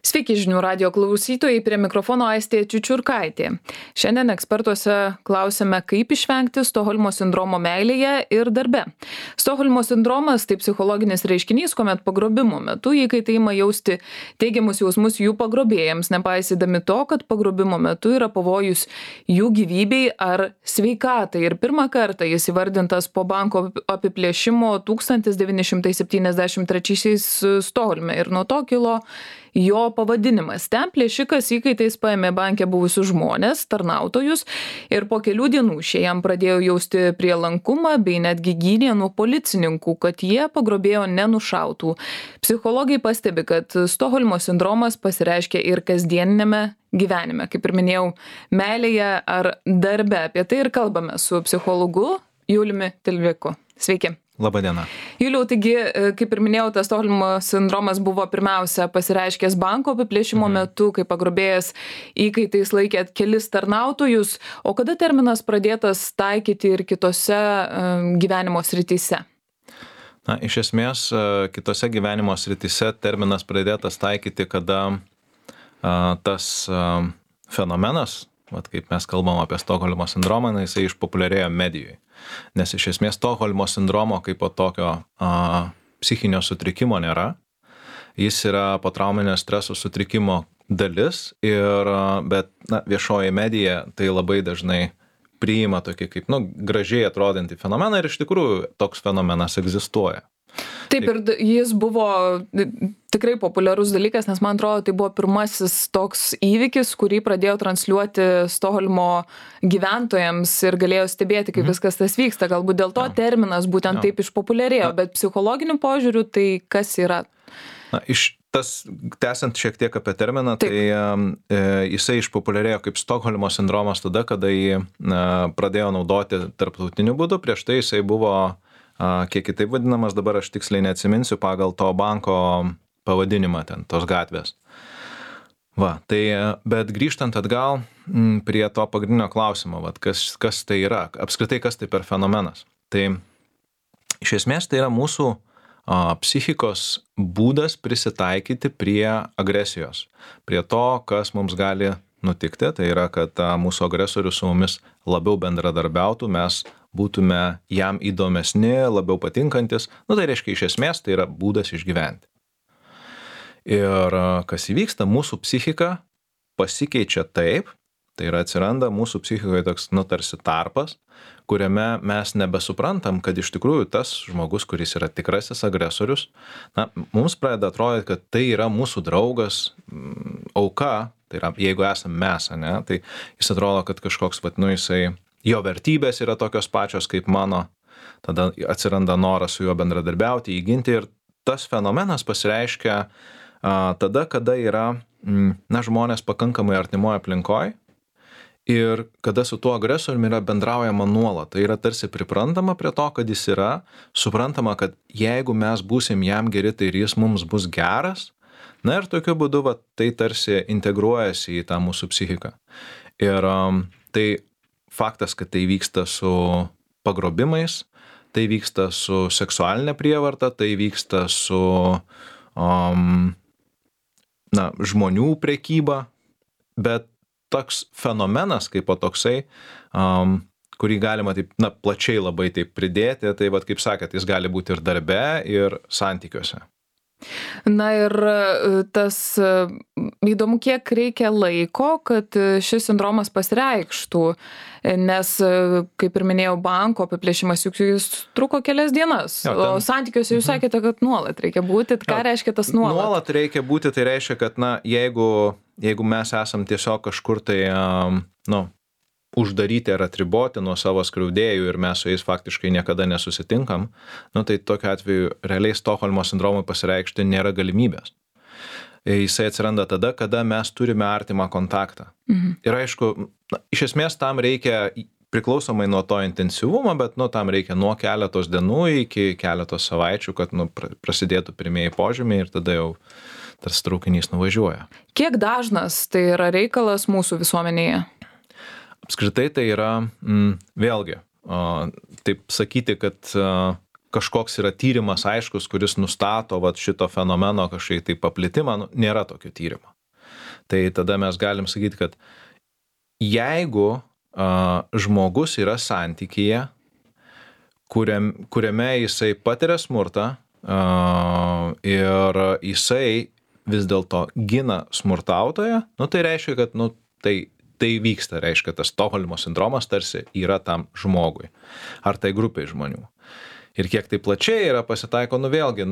Sveiki žinių radio klausytojai, prie mikrofono Aistė Čiučiurkaitė. Šiandien ekspertuose klausime, kaip išvengti Stokholmo sindromo meilėje ir darbe. Stokholmo sindromas tai psichologinis reiškinys, kuomet pagrobimo metu įkaitai ima jausti teigiamus jausmus jų pagrobėjams, nepaisydami to, kad pagrobimo metu yra pavojus jų gyvybei ar sveikatai. Ir pirmą kartą jis įvardintas po banko apiplėšimo 1973 Stokholme ir nuo to kilo jo pavadinimas. Ten plėšikas įkaitais paėmė banke buvusius žmonės, tarnautojus, ir po kelių dienų šie jam pradėjo jausti prielankumą bei netgi gynė nuo policininkų, kad jie pagrobėjo nenušautų. Psichologai pastebi, kad Stokholmo sindromas pasireiškia ir kasdieninėme gyvenime, kaip ir minėjau, meilėje ar darbe. Apie tai ir kalbame su psichologu Juliumi Tilviku. Sveiki. Labadiena. Juliau, taigi, kaip ir minėjau, tas Stokholmo sindromas buvo pirmiausia pasireiškęs banko apiplėšimo metu, kai pagrobėjas įkaitais laikė kelis tarnautojus, o kada terminas pradėtas taikyti ir kitose gyvenimo srityse? Na, iš esmės, kitose gyvenimo srityse terminas pradėtas taikyti, kada tas fenomenas, kaip mes kalbam apie Stokholmo sindromą, jisai išpopuliarėjo medijoje. Nes iš esmės Stokholmo sindromo kaip po tokio psichinio sutrikimo nėra. Jis yra potrauminio streso sutrikimo dalis, bet viešoji medija tai labai dažnai priima tokį kaip gražiai atrodantį fenomeną ir iš tikrųjų toks fenomenas egzistuoja. Taip, ir jis buvo tikrai populiarus dalykas, nes man atrodo, tai buvo pirmasis toks įvykis, kurį pradėjo transliuoti Stokholmo gyventojams ir galėjo stebėti, kaip viskas tas vyksta. Galbūt dėl to terminas būtent taip išpopuliarėjo, bet psichologiniu požiūriu tai kas yra? Tęsiant šiek tiek apie terminą, tai jisai išpopuliarėjo kaip Stokholmo sindromas tada, kada jį pradėjo naudoti tarptautiniu būdu. Prieš tai jisai buvo kiek kitaip vadinamas, dabar aš tiksliai neatsiminsiu pagal to banko pavadinimą ten, tos gatvės. Bet grįžtant atgal prie to pagrindinio klausimo, kas tai yra, apskritai kas tai per fenomenas. Tai iš esmės tai yra mūsų psichikos būdas prisitaikyti prie agresijos, prie to, kas mums gali nutikti, tai yra, kad mūsų agresorius su mumis labiau bendradarbiautų, mes būtume jam įdomesni, labiau patinkantis. Tai reiškia, iš esmės, tai yra būdas išgyventi. Ir kas įvyksta, mūsų psichika pasikeičia taip, tai yra atsiranda mūsų psichikoje toks, tarsi tarpas, kuriame mes nebesuprantam, kad iš tikrųjų tas žmogus, kuris yra tikrasis agresorius, mums pradeda atrodyti, kad tai yra mūsų draugas, auka, tai yra, jeigu esame mes, tai jis atrodo, kad kažkoks, jo vertybės yra tokios pačios kaip mano, tada atsiranda noras su juo bendradarbiauti, įginti ir tas fenomenas pasireiškia tada, kada yra žmonės pakankamai artimoje aplinkoje ir kada su tuo agresoriumi yra bendraujama nuolat. Tai yra tarsi priprantama prie to, kad jis yra, suprantama, kad jeigu mes būsim jam geri, tai ir jis mums bus geras. Ir tokiu būdu tai tarsi integruojasi į tą mūsų psichiką. Ir tai faktas, kad tai vyksta su pagrobimais, tai vyksta su seksualinė prievarta, tai vyksta su žmonių prekyba, bet toks fenomenas kaip toksai, kurį galima taip, plačiai labai taip pridėti, tai kaip sakėt, jis gali būti ir darbe, ir santykiuose. Ir tas įdomu, kiek reikia laiko, kad šis sindromas pasireikštų, nes, kaip ir minėjau, banko apiplėšimas juk jis truko kelias dienas, o santykiuose jūs sakėte, kad nuolat reikia būti. Ką reiškia tas nuolat? Nuolat reikia būti, tai reiškia, kad jeigu mes esam tiesiog kažkur tai uždaryti ar atriboti nuo savo skriaudėjų ir mes su jais faktiškai niekada nesusitinkam, tai tokiu atveju realiai Stokholmo sindromui pasireikšti nėra galimybės. Jisai atsiranda tada, kada mes turime artimą kontaktą. Ir aišku, iš esmės tam reikia priklausomai nuo to intensyvumo, bet tam reikia nuo keletos dienų iki keletos savaičių, kad prasidėtų pirmieji požymiai ir tada jau tas traukinys nuvažiuoja. Kiek dažnas tai yra reikalas mūsų visuomenėje? Apskritai tai yra, vėlgi, taip sakyti, kad kažkoks yra tyrimas aiškus, kuris nustato šito fenomeno kažkaip tai paplitimą, nėra tokio tyrimo. Tai tada mes galim sakyti, kad jeigu žmogus yra santykyje, kuriame jisai patiria smurtą ir jisai vis dėlto gina smurtautoją, nu tai reiškia, kad tai vyksta, reiškia, tas Stokholmo sindromas tarsi yra tam žmogui ar tai grupiai žmonių. Ir kiek tai plačiai yra pasitaiko, vėlgi,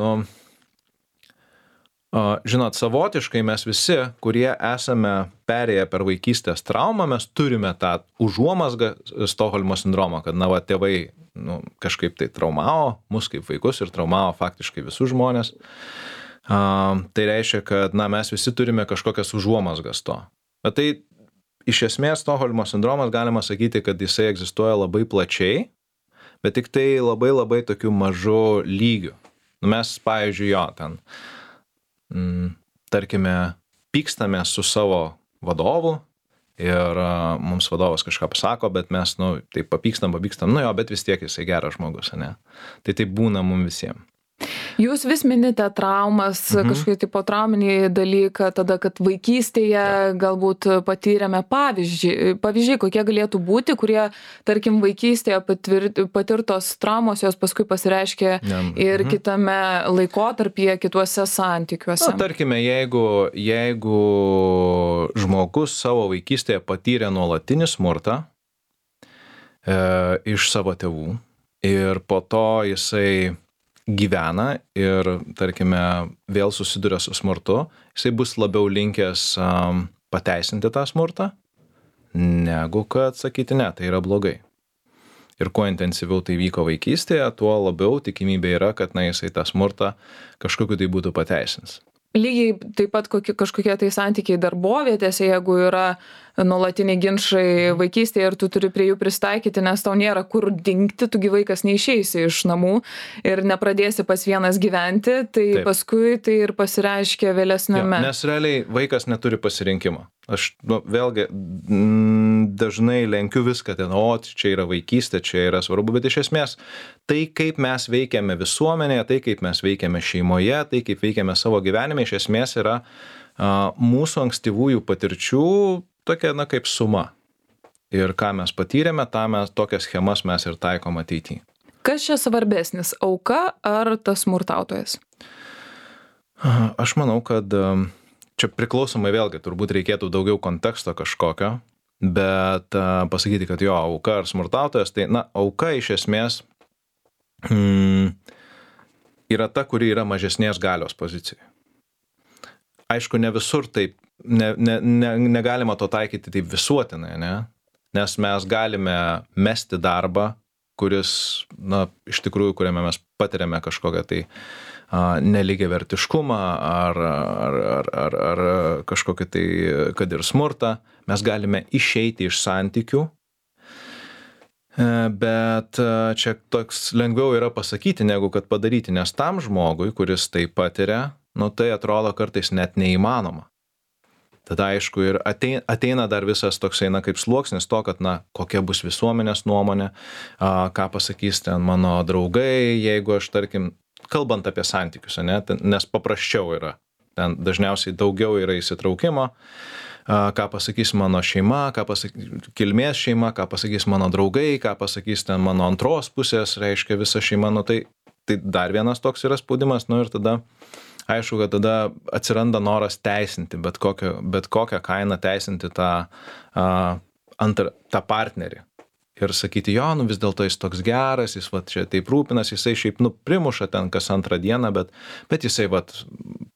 žinot, savotiškai mes visi, kurie esame perėję per vaikystės traumą, mes turime tą užuomazgą Stokholmo sindromą, kad, tėvai kažkaip tai traumavo mus kaip vaikus ir traumavo faktiškai visus žmonės. Tai reiškia, kad, mes visi turime kažkokias užuomazgas to. Bet tai, iš esmės, Stokholmo sindromas galima sakyti, kad jisai egzistuoja labai plačiai, bet tik tai labai labai tokių mažų lygių. Mes, pavyzdžiui, tarkime, pykstame su savo vadovu ir mums vadovas kažką pasako, bet mes, taip papykstam, bet vis tiek jisai geras žmogus, ne? Tai taip būna mums visiems. Jūs vis minite traumas, kažkokį tipo trauminį dalyką, tada, kad vaikystėje galbūt patyrėme pavyzdžiai, kokie galėtų būti, kurie, tarkim, vaikystėje patirtos traumos, jos paskui pasireiškia ir kitame laikotarpyje, kituose santykiuose. Tarkime, jeigu žmogus savo vaikystėje patyrė nuolatinį smurtą iš savo tėvų ir po to jisai gyvena ir, tarkime, vėl susiduria su smurtu, jisai bus labiau linkęs pateisinti tą smurtą, negu kad sakyti, ne, tai yra blogai. Ir kuo intensyviau tai vyko vaikystėje, tuo labiau tikimybė yra, kad, jisai tą smurtą kažkokiu tai būtų pateisins. Lygiai taip pat kažkokie tai santykiai darbovietėse, jeigu yra nuolatiniai ginčai vaikystėje ir tu turi prie jų pristaikyti, nes tau nėra kur dingti, tu vaikas neišeisi iš namų ir nepradėsi pas vienas gyventi, tai taip. Paskui tai ir pasireiškia vėlesniame. Nes realiai vaikas neturi pasirinkimo. Aš vėlgi dažnai lenkiu viską ten, čia yra vaikystė, čia yra svarbu, bet iš esmės tai, kaip mes veikiame visuomenėje, tai, kaip mes veikiame šeimoje, tai, kaip veikiame savo gyvenime, iš esmės yra mūsų ankstyvųjų patirčių tokia, kaip suma. Ir ką mes patyrėme, tokias schemas mes ir taikom ateityje. Kas čia svarbesnis, auka ar tas smurtautojas? Aš manau, kad čia priklausomai vėlgi, turbūt reikėtų daugiau konteksto kažkokio, bet pasakyti, kad auka ar smurtautojas, tai, auka iš esmės yra ta, kuri yra mažesnės galios pozicijai. Aišku, ne visur taip, negalima to taikyti taip visuotinai, ne? Nes mes galime mesti darbą, kuris, iš tikrųjų, kuriame mes patiriame kažkokią tai nelygiavertiškumą ar kažkokį tai, kad ir smurtą, mes galime išeiti iš santykių, bet čia toks lengviau yra pasakyti, negu kad padaryti, nes tam žmogui, kuris tai patiria, tai atrodo kartais net neįmanoma. Tada aišku ir ateina dar visas toksai, kaip sluoksnis to, kad, kokia bus visuomenės nuomonė, ką pasakys ten mano draugai, jeigu aš, tarkim, kalbant apie santykius, ne, nes paprasčiau yra, ten dažniausiai daugiau yra įsitraukimo, ką pasakys mano šeima, ką pasakys kilmės šeima, ką pasakys mano draugai, ką pasakys ten mano antros pusės, reiškia visa šeima, tai dar vienas toks yra spaudimas, ir tada aišku, kad tada atsiranda noras teisinti, bet kokią kainą teisinti tą partnerį. Ir sakyti, vis dėlto jis toks geras, jis čia taip rūpinas, jisai šiaip primuša ten kas antrą dieną, bet jisai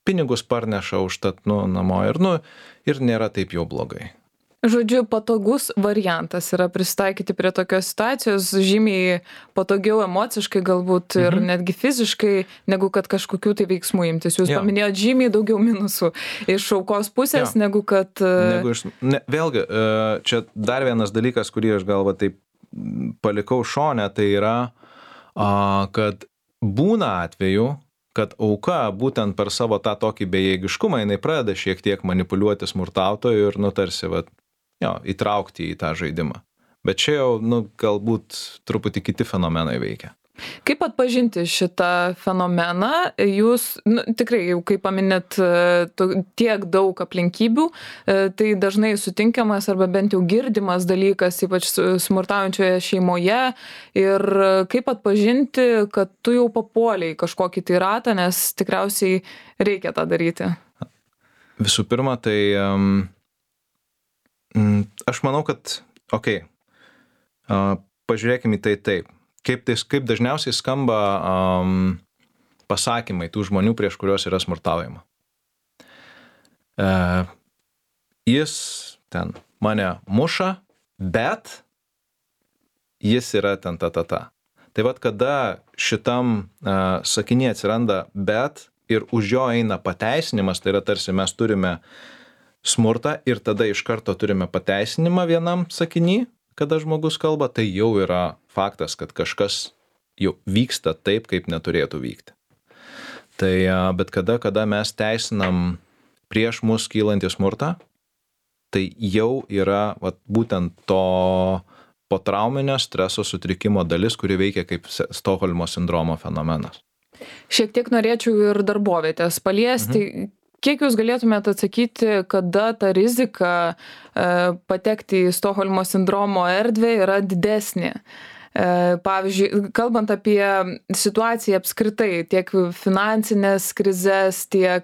pinigus parneša užtat namo ir nėra taip jau blogai. Žodžiu, patogus variantas yra pristaikyti prie tokios situacijos, žymiai patogiau emociškai galbūt ir netgi fiziškai, negu kad kažkokių tai veiksmų imtis. Jūs paminėjot žymiai daugiau minusų iš aukos pusės, negu kad... Vėlgi, čia dar vienas dalykas, kurį aš galva taip palikau šone, tai yra, kad būna atveju, kad auka būtent per savo tą tokį bejėgiškumą, jinai pradeda šiek tiek manipuliuoti smurtautoju ir tarsi įtraukti į tą žaidimą. Bet čia jau galbūt truputį kiti fenomenai veikia. Kaip atpažinti šitą fenomeną? Jūs tikrai, jau kaip paminėt, tiek daug aplinkybių, tai dažnai sutinkamas arba bent jau girdimas dalykas, ypač smurtaujančioje šeimoje. Ir kaip atpažinti, kad tu jau papuolei kažkokį tai ratą, nes tikriausiai reikia tą daryti? Visų pirma, tai aš manau, kad, pažiūrėkime į tai taip. Kaip dažniausiai skamba pasakymai tų žmonių, prieš kuriuos yra smurtaujama. Jis ten mane muša, bet jis yra ten ta. Tai vat kada šitam sakinyje atsiranda bet ir už jo eina pateisinimas, tai yra tarsi mes turime smurtą ir tada iš karto turime pateisinimą vienam sakiny, kada žmogus kalba, tai jau yra faktas, kad kažkas jau vyksta taip, kaip neturėtų vykti. Tai bet kada mes teisinam prieš mus kylantį smurtą, tai jau yra būtent to potrauminio streso sutrikimo dalis, kuri veikia kaip Stokholmo sindromo fenomenas. Šiek tiek norėčiau ir darbovietės paliesti. Kiek jūs galėtumėte atsakyti, kada ta rizika patekti į Stokholmo sindromo erdvę yra didesnė? Pavyzdžiui, kalbant apie situaciją apskritai, tiek finansinės krizes, tiek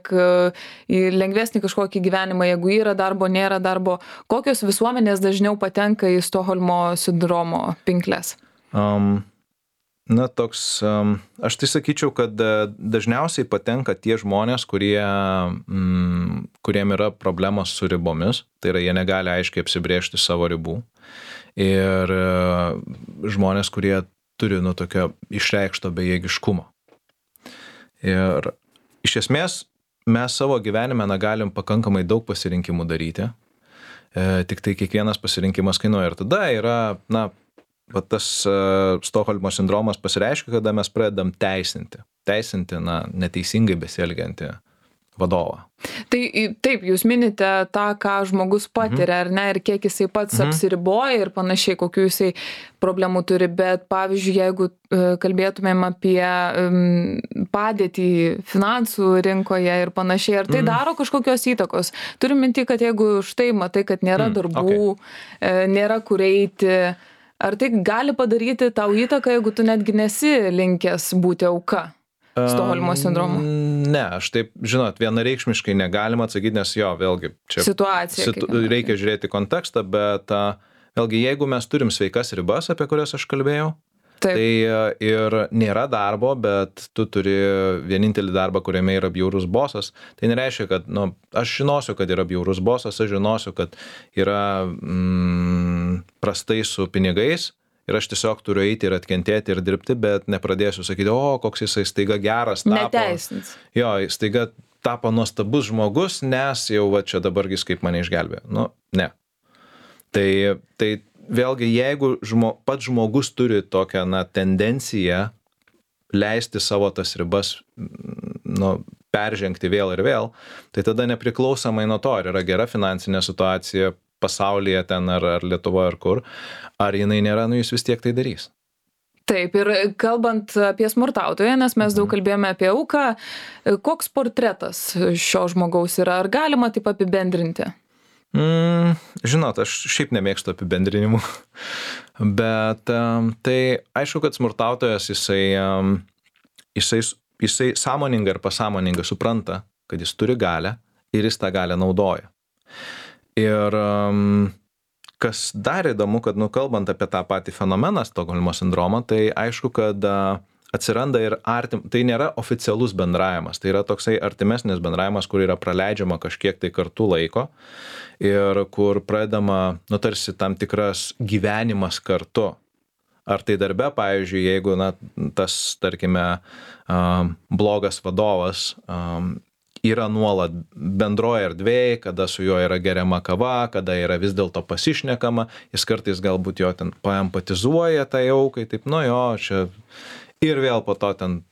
į lengvesnį kažkokį gyvenimą, jeigu yra darbo, nėra darbo, kokios visuomenės dažniau patenka į Stokholmo sindromo pinkles? Aš tai sakyčiau, kad dažniausiai patenka tie žmonės, kuriem yra problemos su ribomis, tai yra jie negali aiškiai apsibrėžti savo ribų. Ir žmonės, kurie turi tokio išreikšto bejėgiškumo. Ir iš esmės mes savo gyvenime galim pakankamai daug pasirinkimų daryti, tik tai kiekvienas pasirinkimas kainuoja. Ir tada yra, tas Stokholmo sindromas pasireiškia, kada mes pradedam teisinti neteisingai besielgiantį vadovą. Tai taip, jūs minite tą, ką žmogus patiria, ar ne, ir kiek jisai pats apsiriboja ir panašiai, kokių jisai problemų turi, bet pavyzdžiui, jeigu kalbėtumėm apie padėtį finansų rinkoje ir panašiai, ar tai daro kažkokios įtakos? Turim minti, kad jeigu štai matai, kad nėra darbų, nėra kur eiti, ar tai gali padaryti tau įtaką, jeigu tu netgi nesi linkęs būti auka Stokholmo sindromo? Ne, aš taip, vienareikšmiškai negalima atsakyti, nes vėlgi, čia situacija, reikia žiūrėti kontekstą, bet vėlgi, jeigu mes turim sveikas ribas, apie kurias aš kalbėjau, tai ir nėra darbo, bet tu turi vienintelį darbą, kuriame yra bjaurus bosas, tai nereiškia, kad aš žinosiu, kad yra bjaurus bosas, aš žinosiu, kad yra prastai su pinigais ir aš tiesiog turiu eiti ir atkentėti ir dirbti, bet nepradėsiu sakyti, koks jisai staiga geras tapo. Neteisins. Staiga tapo nuostabus žmogus, nes jau čia dabargi kaip mane išgelbėjo. Ne. Tai vėlgi, jeigu pats žmogus turi tokią tendenciją leisti savo tas ribas peržengti vėl ir vėl, tai tada nepriklausomai nuo to, ar yra gera finansinė situacija pasaulyje ten ar Lietuvoje ar kur, ar jinai nėra, jis vis tiek tai darys. Taip, ir kalbant apie smurtautoją, nes mes daug kalbėjome apie auką, koks portretas šio žmogaus yra, ar galima taip apibendrinti? Žinot, aš šiaip nemėgstu apibendrinimų, bet tai aišku, kad smurtautojas jisai sąmoningai ir pasąmoningai supranta, kad jis turi galią ir jis tą galią naudoja. Ir kas dar įdomu, kad kalbant apie tą patį fenomeną Stokholmo sindromą, tai aišku, kad atsiranda ir tai nėra oficialus bendravimas, tai yra toksai artimesnis bendravimas, kur yra praleidžiama kažkiek tai kartu laiko ir kur pradedama, tarsi tam tikras gyvenimas kartu. Ar tai darbe, pavyzdžiui, jeigu tas, tarkime, blogas vadovas yra nuolat bendroje erdvėje, kada su juo yra geriama kava, kada yra vis dėlto pasišnekama, jis kartais galbūt jo ten paempatizuoja tai aukai, taip, čia ir vėl po to ten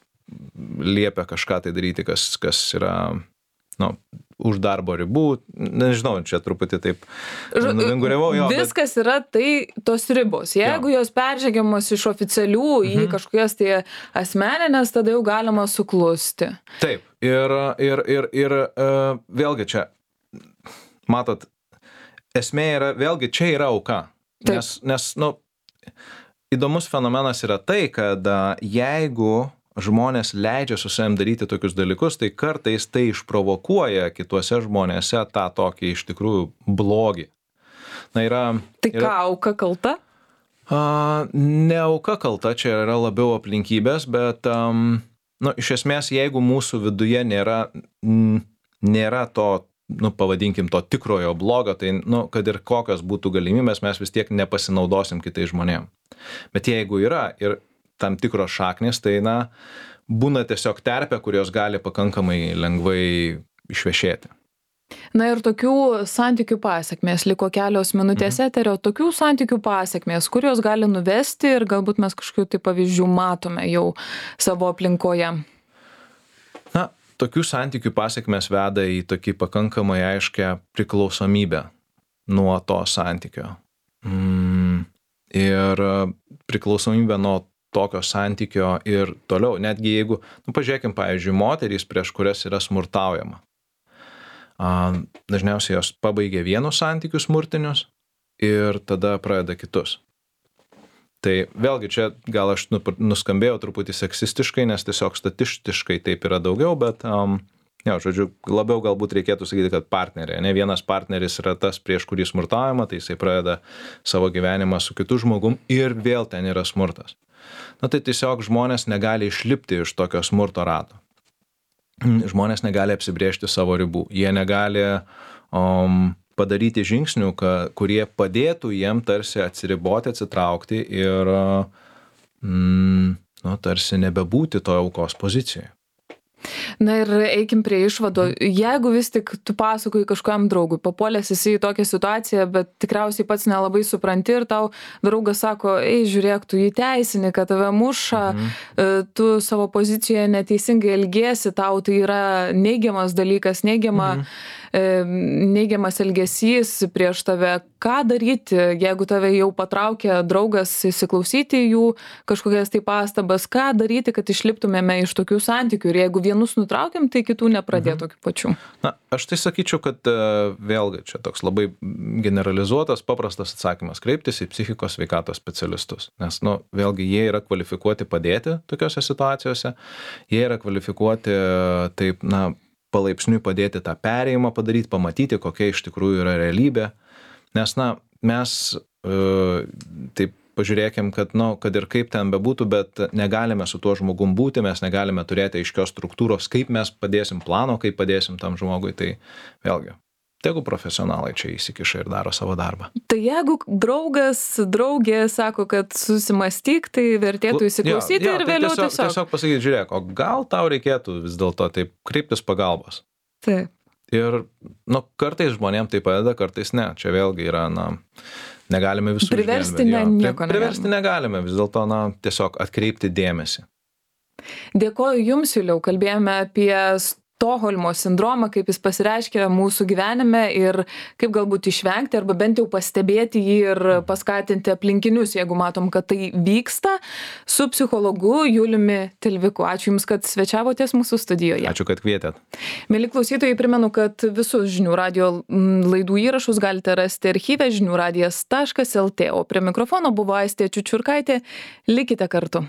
liepia kažką tai daryti, kas yra, už darbo ribų, nežinau, čia truputį taip nuvinguriavau jo. Viskas yra tai tos ribos. Jeigu jos peržengiamos iš oficialių į kažkokias tai asmeninės, tada jau galima suklusti. Taip, ir vėlgi čia, matot, esmė yra, vėlgi čia yra auka. Nes įdomus fenomenas yra tai, kad jeigu žmonės leidžia su savim daryti tokius dalykus, tai kartais tai išprovokuoja kituose žmonėse tą tokį iš tikrųjų blogį. Tai ką, auka kalta? Ne auka kalta, čia yra labiau aplinkybės, bet iš esmės, jeigu mūsų viduje nėra to, pavadinkim, to tikrojo blogo, tai, kad ir kokios būtų galimybės, mes vis tiek nepasinaudosim kitais žmonėm. Bet jeigu yra ir tam tikros šaknys, tai, būna tiesiog terpė, kurios gali pakankamai lengvai išvešėti. Ir tokių santykių pasekmės, liko kelios minutės eterio, tokių santykių pasekmės, kurios gali nuvesti ir galbūt mes kažkokių tai pavyzdžių matome jau savo aplinkoje. Tokių santykių pasekmės veda į tokį pakankamai aiškę priklausomybę nuo to santykio. Ir priklausomybę nuo tokio santykio ir toliau. Netgi jeigu, pažiūrėkim, pavyzdžiui, moterys, prieš kurias yra smurtaujama. Dažniausiai jos pabaigia vienus santykius smurtinius ir tada pradeda kitus. Tai vėlgi čia gal aš nuskambėjau truputį seksistiškai, nes tiesiog statistiškai taip yra daugiau, bet labiau galbūt reikėtų sakyti, kad partneriai. Ne vienas partneris yra tas, prieš kurį smurtaujama, tai jisai pradeda savo gyvenimą su kitu žmogum ir vėl ten yra smurtas. Tai tiesiog žmonės negali išlipti iš tokio smurto rato. Žmonės negali apsibrėžti savo ribų. Jie negali padaryti žingsnių, kurie padėtų jiem tarsi atsiriboti, atsitraukti ir tarsi nebebūti toje aukos pozicijoje. Ir eikim prie išvado. Jeigu vis tik tu pasakoji kažkam draugui, papuolęs esi į tokią situaciją, bet tikriausiai pats nelabai supranti ir tau draugas sako, žiūrėk, tu jį teisini, kad tave muša, tu savo pozicijoje neteisingai elgiesi, tau tai yra neigiamas dalykas, neigiamas elgesys prieš tave. Ką daryti, jeigu tave jau patraukia draugas įsiklausyti jų kažkokias tai pastabas, ką daryti, kad išliptumėme iš tokių santykių ir jeigu vienus nutraukiam, tai kitų nepradėt tokių pačių? Aš tai sakyčiau, kad vėlgi čia toks labai generalizuotas, paprastas atsakymas - kreiptis į psichikos sveikatos specialistus. Nes, vėlgi, jie yra kvalifikuoti padėti tokiose situacijose, jie yra kvalifikuoti taip, palaipsniui padėti tą perėjimą padaryti, pamatyti, kokia iš tikrųjų yra realybė. Nes, mes taip pažiūrėkim, kad ir kaip ten bebūtų, bet negalime su tuo žmogum būti, mes negalime turėti aiškios struktūros, kaip mes padėsim plano, kaip padėsim tam žmogui, tai vėlgi, tegu profesionalai čia įsikiša ir daro savo darbą. Tai jeigu draugė sako, kad susimastyk, tai vertėtų įsiklausyti ir vėliau tiesiog pasakyti, žiūrėk, o gal tau reikėtų vis dėlto taip kreiptis pagalbos. Taip. Ir, kartais žmonėms tai padeda, kartais ne. Čia vėlgi yra, negalime visų priversti nieko negalime. Priversti negalime, vis dėlto, tiesiog atkreipti dėmesį. Dėkoju Jums, Juliau, kalbėjome apie Stokholmo sindromą, kaip jis pasireiškia mūsų gyvenime ir kaip galbūt išvengti arba bent jau pastebėti jį ir paskatinti aplinkinius, jeigu matom, kad tai vyksta, su psichologu Juliumi Tilviku. Ačiū Jums, kad svečiavotės mūsų studijoje. Ačiū, kad kvietėt. Mieli klausytojai, primenu, kad visus Žinių radijo laidų įrašus galite rasti archyve žiniųradijas.lt, o prie mikrofono buvo Aistė Čiučiurkaitė. Likite kartu.